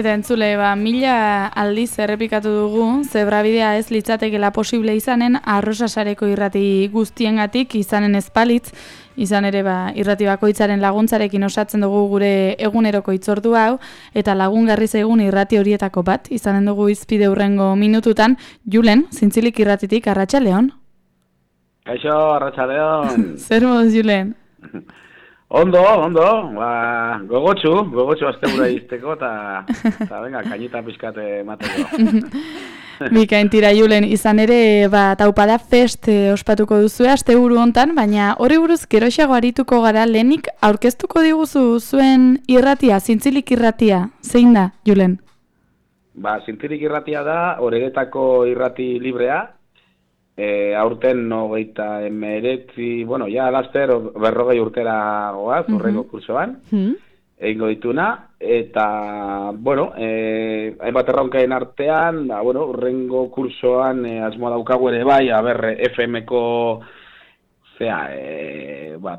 Eta entzule, mila aldiz errepikatu dugu, zebrabidea ez litzatekela posible izanen, Arrosasareko irrati guztiengatik izanen ezpalitz, izan ere irrati bakoitzaren laguntzarekin osatzen dugu gure eguneroko hitzordu hau, eta lagungarri zaigun irrati horietako bat, izanen dugu izpide hurrengo minututan, Julen, Zintzilik irratitik, arratsaldeon. Kaixo, arratsaldeon. Zer moduz, Julen? Ondo, gogotsu astebura izteko, eta venga, kainita pizkate mateko. Bikain tira, Julen, izan ere, Taupada Fest ospatuko duzue asteburu hontan, baina horri buruz geroxago arituko gara, lehenik aurkeztuko diguzu zuen irratia, Zintzilik irratia, zein da, Julen? Zintzilik irratia da, Oreretako irrati librea, aurten 29, bueno, ja laster 40 urtera goaz, horreko kursoan, egingo dituna, eta, bueno, hainbat erronkaen artean, horrengo kursoan asmoa daukagu ere bai, FM-ko,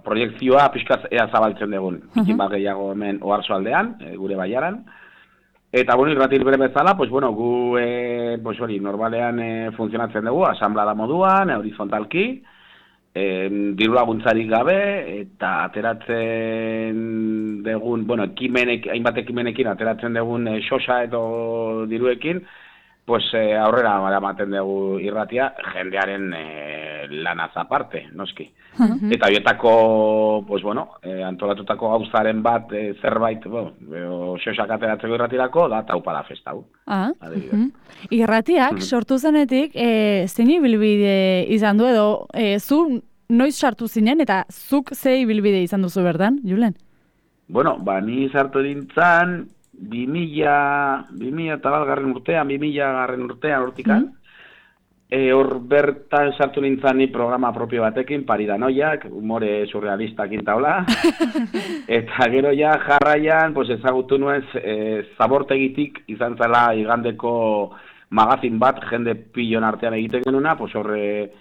proiektzioa pixkaz ea zabaltzen dugun, ikin bat gehiago hemen Oarsoaldean, gure baiaran. Eta, irrati libre bezala, gu normalean funtzionatzen dugu, asamblada moduan, horizontalki, diru laguntzarik gabe, eta ateratzen dugun, hainbat ekimenekin ateratzen dugun xosa edo diruekin, aurrera ematen dugu irratia, jendearen lanaz aparte, noski. Eta horietako, antolatutako gauzaren bat zerbait, xosak ateratzeko irratirako, da Taupada Fest hau. Irratiak sortu zenetik, zein ibilbide izan du edo, zu noiz sartu zinen eta zuk ze ibilbide izan duzu bertan, Julen? Ni sartu dintzan, 2000 eta balgarren urtean, 2000 urtean hortikan. Hor bertan sartu nintzen ni programa propio batekin, Paridanoiak, humore surrealistak intaula. Eta gero ja jarraian, ezagutu nuen Zabortegitik izan zela igandeko magazin bat, jende pilon artean egiten genuna, horre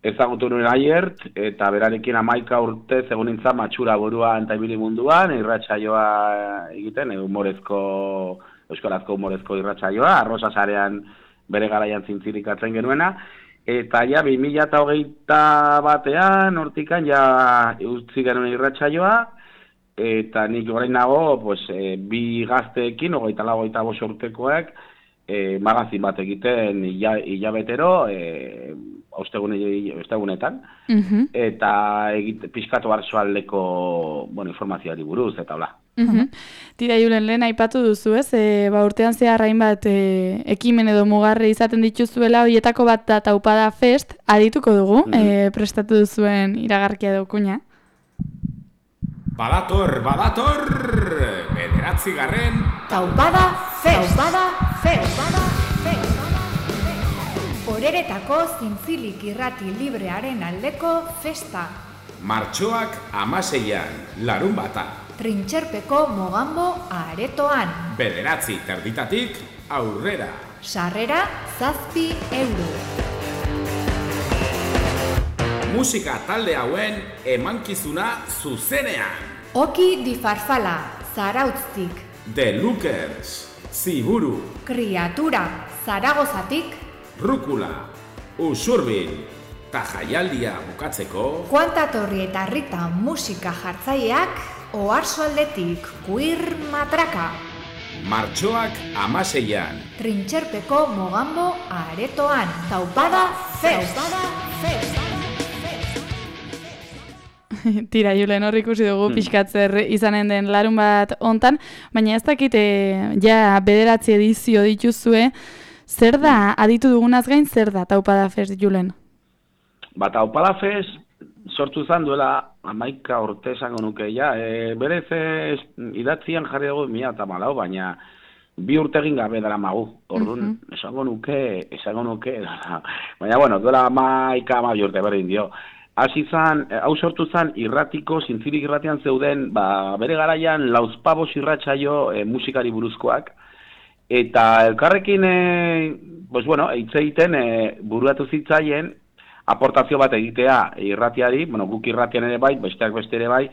ezagutu nuen Aiert, eta berarekin 11 urte egon nintzen matxura buruan eta ibili munduan, irratsaioa egiten, euskarazko humorezko irratsaioa, Arrosasarean bere garaian zintzilikatzen genuena, eta ja 2021 batean, hortikan ja utzi genuen irratsaioa, eta nik orain nago, bi gazteekin, 24 urtekoek, magazin bat egiten hilabetero, ostegunetan, eta pixkatu Arsoaldeko informazioari buruz, eta hola. Tira, Julen, lehen aipatu duzu, ez? Urtean zehar hainbat ekimen edo mugarri izaten dituzuela, horietako bat da Taupada Fest, adituko dugu, prestatu duzuen iragarkia daukuina. Badator! 9. Taupada Fest! Oreretako Zintzilik irrati librearen aldeko festa. Martxoak 16an, larunbata. Trintxerpeko Mogambo aretoan. 9:30 aurrera. Sarrera 7 euro. Musika talde hauen emankizuna zuzenean. Oki di Farfala, Zarautztik. The Lookers, Ziburu. Kriatura, Zaragozatik. Rukula, Usurbil. Ta jaialdia bukatzeko. Kuantatorri eta Rita musika jartzaileak. Oarsoaldetik, Queer Matraka. Martxoak 16an. Trintxerpeko Mogambo aretoan. Taupada Fest! Tira, Julen, hor ikusi dugu pixkatzer izanen den larun bat hontan, baina ez dakite, ja 9 edizio dituzue, zer da, aditu dugunaz gain, zer da Taupada Fest, Julen? Taupada Fest sortu zan duela 11 urte esango nuke, berez idatzian jarri dugu 2014, baina 2 urte egin gabe dara magu, orduan, esango nuke, baina, duela 11 urte berdin dio. Hau sortu zan irratiko, Zintzilik irratian zeuden, bere garaian lauzpabos irratsaio musikari buruzkoak, eta elkarrekin, hitz egiten buruatu zitzaien, aportazio bat egitea irratiari, guk irratian ere bai, besteak beste ere bai,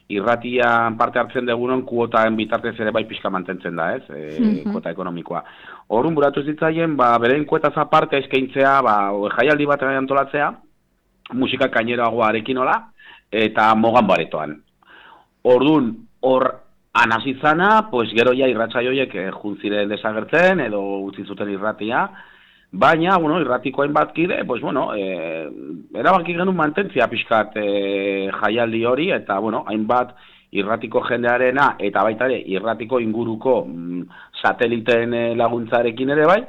irratian parte hartzen dugunon kuotaen bitartez ere bai pixka mantentzen da, ez? Kuota ekonomikoa. Horrun buratu zitzaien, beren kuetaz aparte eskaintzea, jaialdi bat antolatzea, musika kaineroagoarekin hola, eta mogan baretoan. Orduan, hor anazizana, pues gero ja irratsaioiek juntziren desagertzen, edo utzi zuten irratia, baina, irratiko hainbat kide, pues erabaki genuen mantentzia pixkat jaialdi hori, eta, hainbat irratiko jendearena, eta baita ere, irratiko inguruko sateliten laguntzarekin ere bai,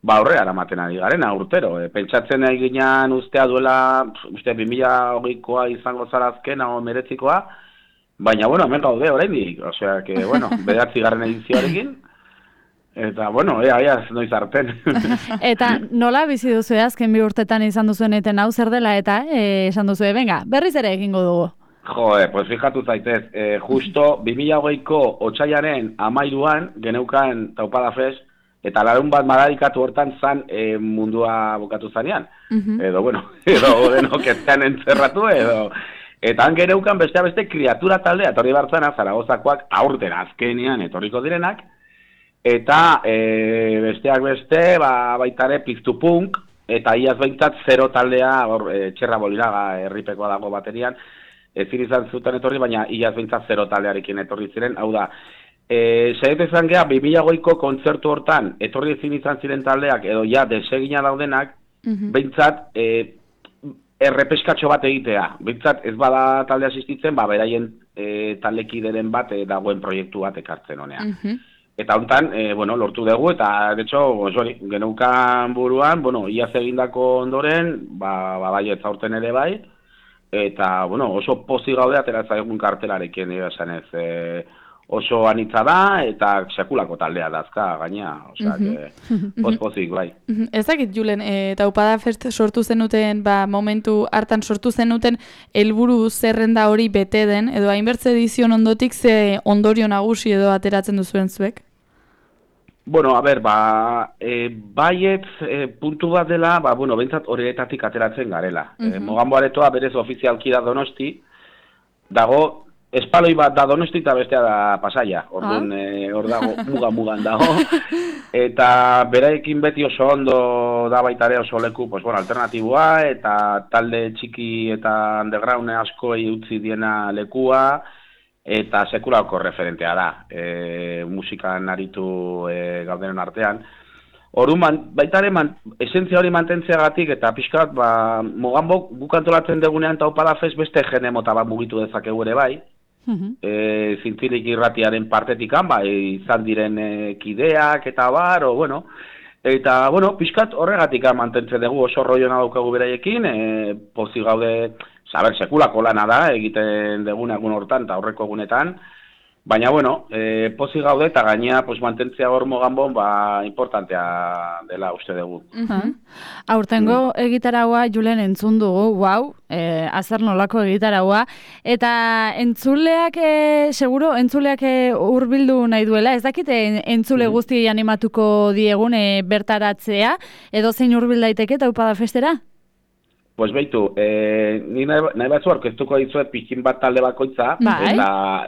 horre aramaten ari garena urtero. Pentsatzen eginean ustea duela, 2020koa izango zara azkena o meretzikoa, baina, hemen gaude oraindik, osea, que, 9. edizioarekin, eta, ea, noiz arten. Eta nola bizi duzu azken 2 urtetan izan duzuen eten hau zer dela eta esan duzu, venga, berriz ere egingo dugu. Pues fijatu zaitez, justo 2020ko otsailaren 13an geneukan Taupada Fest, eta larun bat madarikatu hortan zan mundua bukatu zanean. Edo denok etzean entzerratu, eta han geneukan beste kriatura taldea, etorri bartzana, Zaragozakoak aurten azkenean etorriko direnak, eta besteak beste, baitare piztu punk, eta iaz behintzat zero taldea, Txerra Boliraga herripekoa dago baterian, ezin izan zuten etorri, baina iaz behintzat zero taldearekin etorri ziren, hau da, zaitu izan geha, 2008ko kontzertu hortan, etorri ezin izan ziren taldeak, edo ja, desegina daudenak, behintzat, errepeskatxo bat egitea. Behintzat, ez bada talde asistitzen, beraien taldekideren bat dagoen proiektu bat ekartzen honean. Eta hontan, lortu dugu, eta, de hecho, geneukan buruan, iaz egindako ondoren, bai ez aurten ere bai, eta, oso pozik gaude ateratzen egun kartelarekin, esan ez, oso anitza da, eta sekulako taldea dazka, gaina, osea, pozik, bai. Ezakit, Julen, Taupada Fest sortu zenuten, momentu hartan sortu zenuten, helburu zerrenda hori bete den, edo hainbertze edizion ondotik ze ondorio nagusi edo ateratzen duzuen zuek? Baiet puntu bat dela, behintzat horietatik ateratzen garela. Moganbo Aretoa berez ofizialki da Donosti, dago, espaloi bat da Donosti eta bestea da Pasaia, orduan hor dago, mugan dago, eta beraekin beti oso ondo da baitare oso leku, alternatiboa, eta talde txiki eta underground askoei utzi diena lekua, eta sekulako referentea da, musikan aritu gaudenen artean. Orduan, baitare, esentzia hori mantentzeagatik, eta pixkat, Moganbok guk antolatzen degunean Taupada Fest beste jende mota bat mugitu dezakegu ere bai, zintzilik irratiaren partetikan, izan diren kideak eta bar, eta, pixkat horregatik mantentzen dugu oso roiona daukagu beraiekin, pozik gaude, sekulako lana da, egiten degun egun hortan eta aurreko egunetan, baina, pozik gaude eta gaina mantentzea hor Moganbon, importantea dela uste dugu. Aurtengo egitaraua, Julen, entzun dugu, azer nolako egitaraua, eta entzuleak, seguro, entzuleak hurbildu nahi duela, ez dakite entzule guzti animatuko diegun bertaratzea, edo zein hurbil daiteke Taupada Festera? Pues beitu, ni nahi batzu orkestuko dizuet pixkin bat talde bakoitza, eta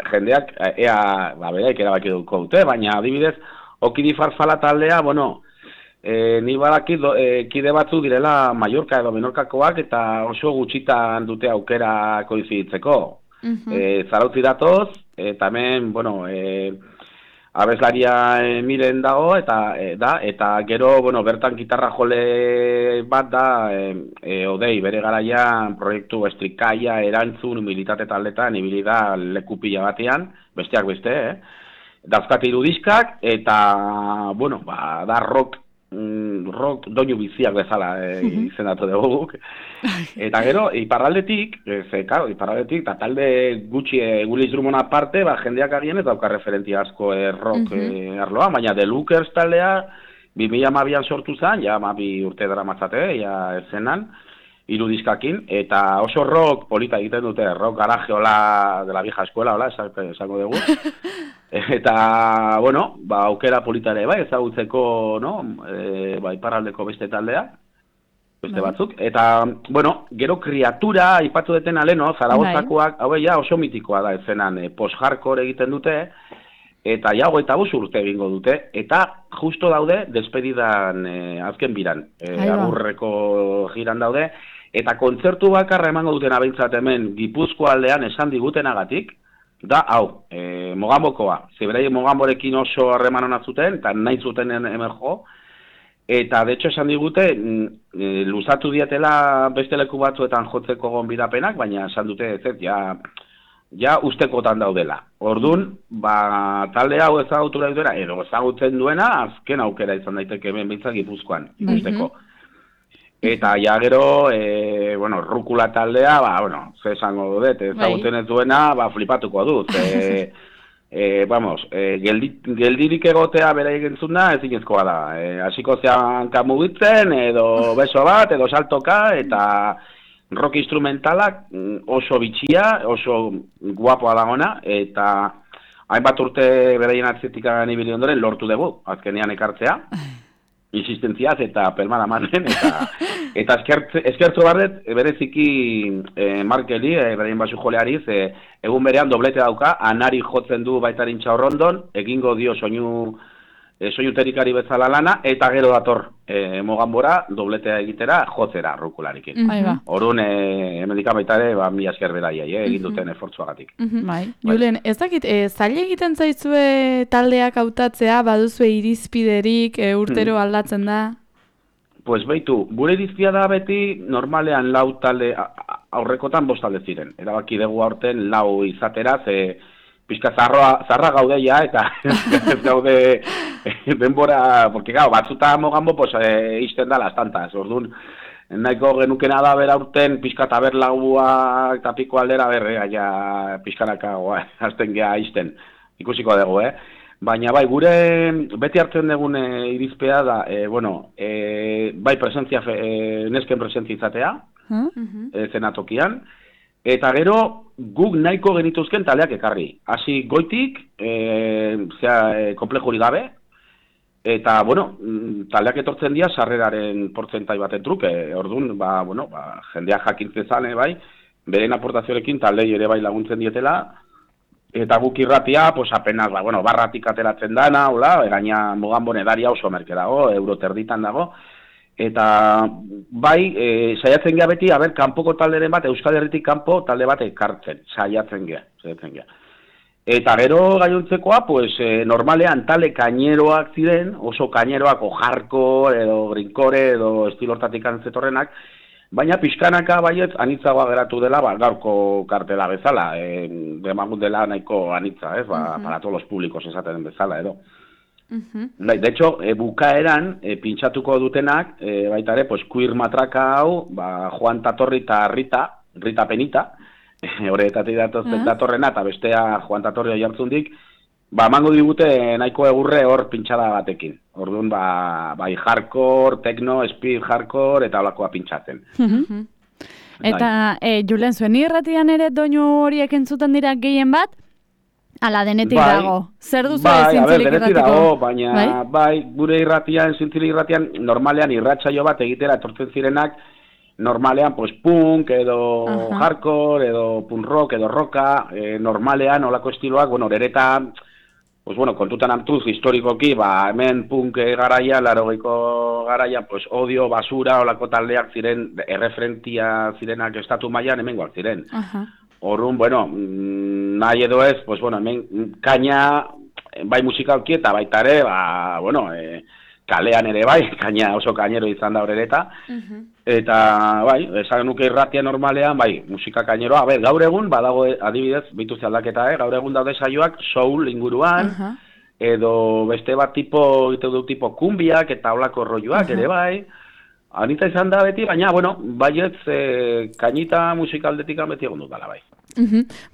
jendeak, beraik erabaki duko dute, baina adibidez, Okidi Farfala taldea, ni badakit kide batzu direla Mallorca edo Menorkakoak, eta oso gutxitan dute aukera koiziditzeko. Zarautzi datoz, eta hemen, abeslaria miren dago, eta gero, bertan gitarra jole bat da, Odei, bere garaian proiektu Estrikaia, Erantzun, Militate taldetan, ibili da leku pila batean, besteak beste, dauzkat 3 diskak, eta, da rock doinu biziak bezala izendatu dugu. Eta gero, iparraldetik, eta talde gutxi Gulis Drummond aparte, jendeak agien ez dauka referentia asko rock arloa, baina The Lookers taldea 2012an sortu zen, ja 12 urte dara matzate, ja ezenan, 3 diskakin, eta oso rock polita egiten dute, rock garajeola de la vieja escuela, esango dugu. Eta, aukera polita ere, ezagutzeko, iparraldeko beste taldea. beste batzuk. Eta, bueno, gero kriatura, aipatu deten aleno, Zaragozakoak, hau ja oso mitikoa da ezenan, post-hardcore egiten dute, eta ja 25 urte egingo dute, eta justo daude despedidan azken biran, agurreko giran daude, eta kontzertu bakarra emango duten abentzat hemen Gipuzkoa aldean esan digutenagatik, da, hau, Mogambokoa, zeberaien Mogamborekin oso harreman hona zuten, eta nahi zuten hemen jo, eta de hecho esan digute, luzatu dietela beste leku batzuetan jotzeko gonbidapenak, baina esan dute ez, ja ustekotan daudela. Orduan, talde hau ezagutura duena, edo ezagutzen duena, azken aukera izan daiteke hemen bintzak Gipuzkoan, ikusteko. Eta ja gero, Rukula taldea, ze esango dut, ezagutzen ez duena, flipatuko dut. Geldirik egotea bera egintzun da, ez inezkoa da. Hasiko zean kamugitzen, edo beso bat, edo saltoka, eta rock instrumentalak oso bitxia, oso guapoa dagona, eta hainbat urte beraien atzetik ibili ondoren lortu dugu, azkenean ekartzea. Insistentziaz eta pelmada manen, eta eskertzo barret, bereziki Markeli, beraien basu joleari, egun berean doblete dauka, anari jotzen du baitarin Txaurrondon, egingo dio soinuterikari bezala lana, eta gero dator Mogambora dobletea egitera jotzera rukularikin. Orduan, hemendik baita ere, mila esker beraiei, egin duten efortzuagatik. Julen, ez dakit, zaila egiten zaizue taldeak hautatzea, baduzue irizpiderik, urtero aldatzen da? Pues beitu, gure irizpia da beti normalean 4 talde, aurrekotan 5 talde ziren. Erabaki dugu aurten 4 izatera, pixka zarra gaude ja, eta ez gaude denbora, porque gau, batzuta Mogambo, pues, izten da las tantas, orduan, nahiko genukena da bera urten, pixka eta berlagua eta piko aldera ja pixkanaka azten geha izten, ikusiko dugu, Baina bai, gure beti hartzen dugun irizpea da, bai presentzia, nesken presentzia izatea, zenatokian, eta gero, guk nahiko genituzken taldeak ekarri. Hasi goitik, komplejuri gabe, eta, taldeak etortzen dira sarreraren portzentai baten truke. Orduan, jendeak jakintzen zane, bai, beren aportazioarekin taldei ere bai laguntzen dietela, eta guk irratia, apenas, barratik ateratzen dana, gaina Mogambon edaria oso merke dago, euroterditan dago, eta bai, saiatzen gea beti, kanpoko talderen bat, Euskal Herritik kanpo talde bat ekartzen, saiatzen gea. Eta gero gainontzekoa, normalean talde kaineroak ziren, oso kaineroak, hardcore, edo grindcore, edo estilortatik antzetorrenak, baina pixkanaka baietz anitzagoa geratu dela, gaurko kartela bezala, demagun dela nahiko anitza, para todos los públicos esaten bezala, edo. De hecho, bukaeran, pintxatuko dutenak, baita ere, queer matraka hau, Juan Tatorri eta Rita Penita, horretatik datorrena, eta bestea Juan Tatorri hori hartzundik, emango digute nahiko egurre hor pintxada batekin. Orduan, bai hardcore, techno, speed hardcore, eta holakoa pintxatzen. Eta, Julen, zuen irratian ere doinu horiek entzuten dira gehien bat? Ala, denetik dago. Zer duzu zintzilik irratiko? Denetik dago, baina, gure irratian, zintzilik irratian, normalean irratsaio bat egitera etortzen zirenak, normalean, punk, edo hardcore, edo punk rock, edo rocka, normalean, olako estiloak, ereta, kontutan hartuz, historikoki, hemen punk garaia, 80ko garaia, odio, basura, olako taldeak ziren, erreferentia zirenak estatu mailan hemengoak ziren. Orrun, nahi edo ez, hemen kaina, bai musikalki eta baita ere, kalean ere bai, kaina oso kainero izan da horreta, eta esan nuke irratia normalean, musika kaineroa, gaur egun, badago adibidez, bituz aldaketa, gaur egun daude saioak soul inguruan, edo beste bat tipo kumbiak eta olako rolloak ere bai, anita izan da beti, baina, baietz kainita musikaldetik beti egon dut dala bai.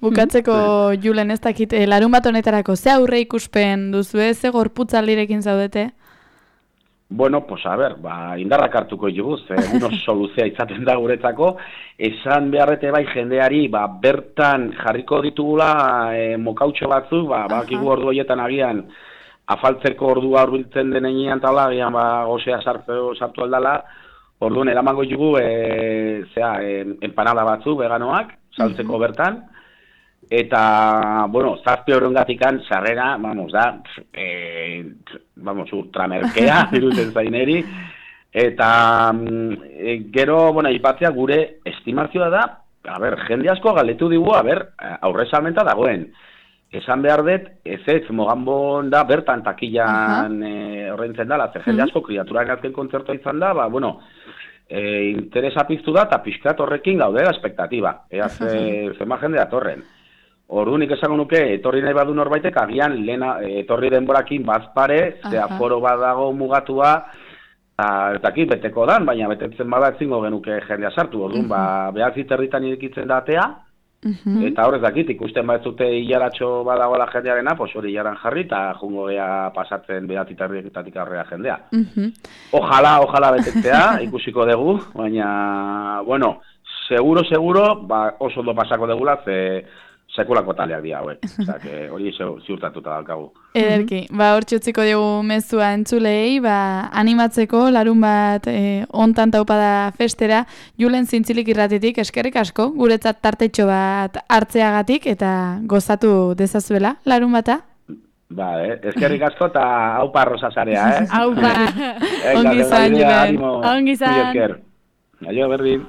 Bukatzeko, Julen, ez dakit, larun bat honetarako, ze aurre ikuspen duzu, ze gorputzaldirekin zaudete? Indarrak hartuko juguz, uno soluzea izaten da guretzako, esan beharrete bai jendeari, bertan jarriko ditugula mokautxo batzu, bakigu ordu horietan agian, afaltzeko ordua hurbiltzen denean taula, agian gozea sartu aldala, Orduan, eramango jugu, empanada batzu, veganoak, saltzeko bertan, eta, bueno, 7 eurongatikan sarrera, da, ultramerkea, irutzen zaineri, eta gero, bueno, aipatzea gure estimazioa da, jende asko galdetu digu, aurre salmenta dagoen. Esan behar dut, ez Mogambon da, bertan takilan horreintzen dela, jende asko kriaturak azken kontzertua izan da, interesa piztu da, eta pixkat horrekin gaudela espektatiba. Zema jende datorren. Orduan esango nuke, etorri nahi badu norbaitek, agian etorri denborakin bazpare, ze aforo badago mugatua, eta aquí beteko dan, baina betetzen bada etzingo genuke jendea sartu. Orduan, behar ziterritan irekitzen da atea, eta horrez dakit, ikusten batzute hilaratxo badagoela jendearena, hori hilaran jarri, eta jungo gea pasatzen behatzitarrietatik aurrera jendea. Ojalá betetzea, ikusiko dugu, baina, bueno, seguro, oso ondo pasako degula, ze sekulako taleak dira hauek. Osea, hori ziurtatuta daukagu. Ederki, hor txutziko dugu mezua entzulei, animatzeko larun bat ontan taupada festera, Julen Zintzilik irratitik eskerrik asko, guretzat tartetxo bat hartzeagatik eta gozatu dezazuela larun bata. Eskerrik asko eta haupa arrozasarea, Haupa! Ongi izan, Julen. Ongi izan. Aio, berdin.